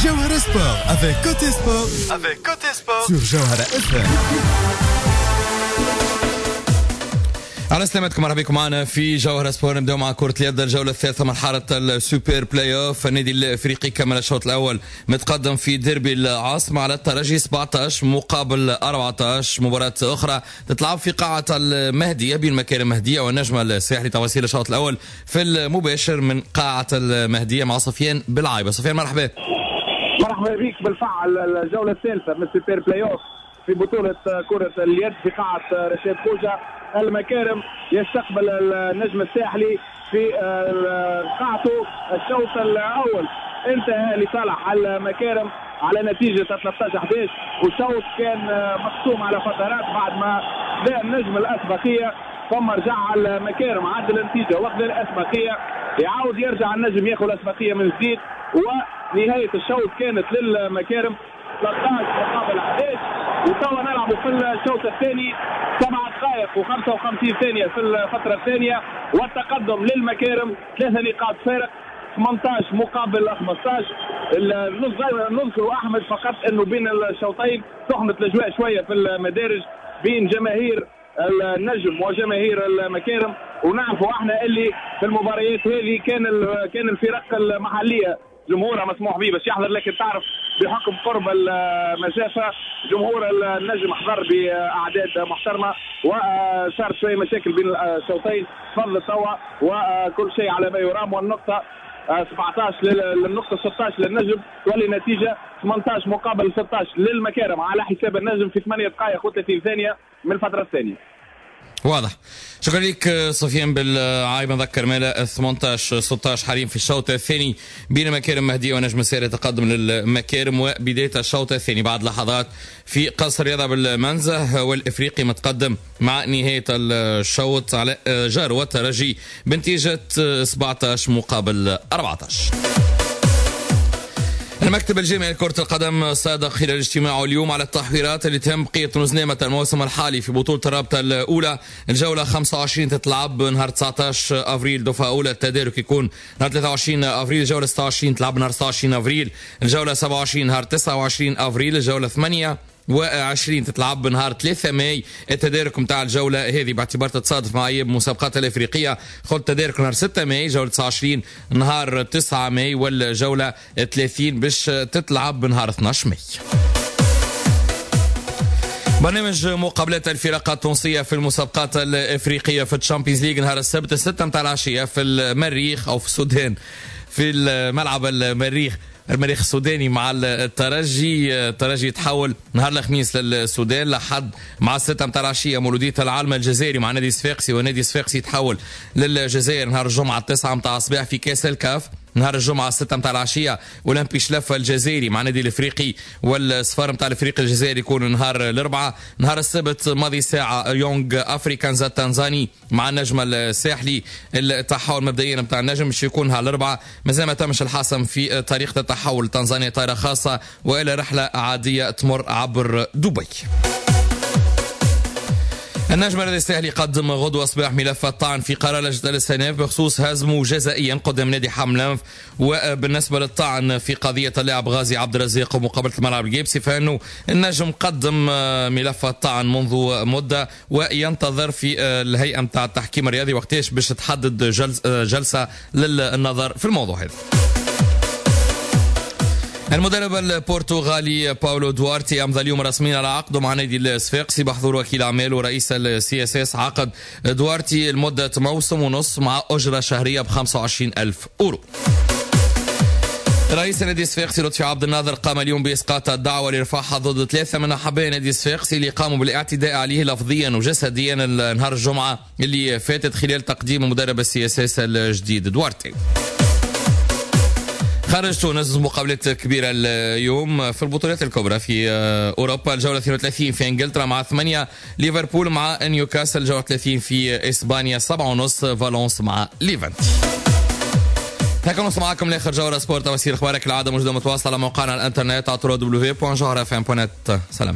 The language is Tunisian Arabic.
جوهرة Sport avec Cote Sport avec Cote Sport sur جوهرة FM. على سلامتكم، مرحبا بكم معنا في جوهرة Sport. نبداو مع كرة اليد، الجولة الثالثة مرحلة ال super play-off. النادي الافريقي كمل الشوط الاول متقدم في ديربي العاصمة على الترجي 17 مقابل 14. مباراة اخرى تتلعب في قاعة المهدية بين مكارم المهدية والنجم الساحلي. تفاصيل الشوط الاول في المباشر من قاعة المهدية مع سفيان بالعايبة. سفيان مرحبا. مرحبا بك. بالفعل الجولة الثالثة من ال super play-off في بطولة كرة اليد في قاعة رشاد خوجة. المكارم يستقبل النجم الساحلي في قاعته. الشوط الاول انتهى لصالح المكارم على نتيجة 13-11، والشوط كان مقسوم على فترات بعد ما بدا النجم الاسبقيه، ثم رجع المكارم عدل النتيجة واخذ الاسبقيه، يعاود يرجع النجم ياخذ الاسبقيه من جديد، ونهاية الشوط كانت للمكارم 13-11. وتوا نلعبوا في الشوط الثاني 7 دقائق و55 ثانية في الفترة الثانية، والتقدم للمكارم 3 نقاط فارق 18-15. نذكر أحمد فقط أنه بين الشوطين سخنت الأجواء شوية في المدارج بين جماهير النجم وجماهير المكارم، ونعرفوا احنا اللي في المباريات هذه كان الفرق المحلية جمهورها مسموح به باش يحضر، لكن تعرف بحكم قرب المسافة جمهور النجم حضر باعداد محترمه، وصار شوية مشاكل بين الشوطين. تفضل توا وكل شيء على ما يرام، والنقطة 17 للنقطة 16 للنجم، تولي نتيجة 18-16 للمكارم على حساب النجم في 8 دقائق و30 ثانية من الفترة الثانية. واضح. شكرا لك سفيان بالعايب. نذكر مالا 18-16 حاليا في الشوط الثاني بين مكارم مهدية ونجم الساحلي، تقدم للمكارم. وبداية الشوط الثاني بعد لحظات في قصر رياضة بالمنزه، والافريقي متقدم مع نهاية الشوط على جار والترجي بنتيجة 17-14. المكتب الجامعي لكرة القدم صادق خلال اجتماعه اليوم على التحويرات اللي تهم بقية رزنامة الموسم الحالي في بطولة الرابطة الأولى. الجولة 25 تتلعب نهار 19 أفريل، دفعة أولى التدارك يكون نهار 23 أفريل، الجولة 26 تلعب نهار 26 أفريل، الجولة 27 نهار 29 أفريل، الجولة 28 تتلعب نهار 3 ماي. التدارك نتاع الجولة هذه باعتبار تتصادف مع ايام المسابقات الافريقية، خذ التدارك نهار 6 ماي، جولة 29 نهار 9 ماي، والجوله 30 باش تتلعب نهار 12 ماي. برنامج مقابلات الفرق التونسية في المسابقات الافريقية في ال Champions League نهار السبت 6 متاع العشية في المريخ او في السودان في الملعب المريخ السوداني مع الترجي. الترجي يتحول نهار الخميس للسودان لحد مع 6 متاع العشية مولوديه العالم الجزائري مع نادي صفاقسي، ونادي صفاقسي يتحول للجزائر نهار الجمعة 9 متاع الصباح في كاس الكاف. نهار الجمعة 6 متاع العشية اولمبي شلفه الجزائري مع نادي الافريقي، والسفار متاع الافريقي الجزائري يكون نهار الاربعاء. نهار السبت ماضي ساعة يونغ افريكانز التنزاني مع النجم الساحلي. التحول مبدئيا متاع النجم باش يكون نهار الاربعاء، مازال ما تمش الحسم في طريقه التحول تنزانيا طائره خاصة والى رحله عادية تمر عبر دبي. النجم الرياضي الساحلي قدم غدوة صباح ملف الطعن في قرار لجنة الاستئناف بخصوص هزمه جزائيا قدام نادي حملانف. وبالنسبة للطعن في قضية اللاعب غازي عبد الرزاق ومقابلة الملعب الجيبسي، فإنه النجم قدم ملف الطعن منذ مدة وينتظر في الهيئة متاع التحكيم الرياضي وقتاش باش تحدد جلسة للنظر في الموضوع هذا. المدرب البرتغالي باولو دوارتي امضى اليوم رسميا على عقده مع نادي الصفاقسي بحضور وكيل اعماله ورئيس ال CSS. عقد دوارتي لمدة موسم ونص مع اجره شهرية ب 25,000 اورو. رئيس نادي الصفاقسي لطفي عبد الناظر قام اليوم باسقاط الدعوة لرفعها ضد 3 من احباء نادي الصفاقسي اللي قاموا بالاعتداء عليه لفظيا وجسديا نهار الجمعة اللي فاتت خلال تقديم مدرب ال CSS الجديد دوارتي. خارج تونس مقابلات كبيرة اليوم في البطولات الكبرى في أوروبا. الجولة 32 في إنجلترا مع 8 ليفربول مع نيوكاسل، الجولة 30 في إسبانيا 7:30 فالونس مع ليفانتي. هكا نوصل معكم لآخر جولة Sport. تفاصيل أخبارك العادة موجودة متواصلة على موقعنا على الإنترنت www.jawharafm.net. سلام.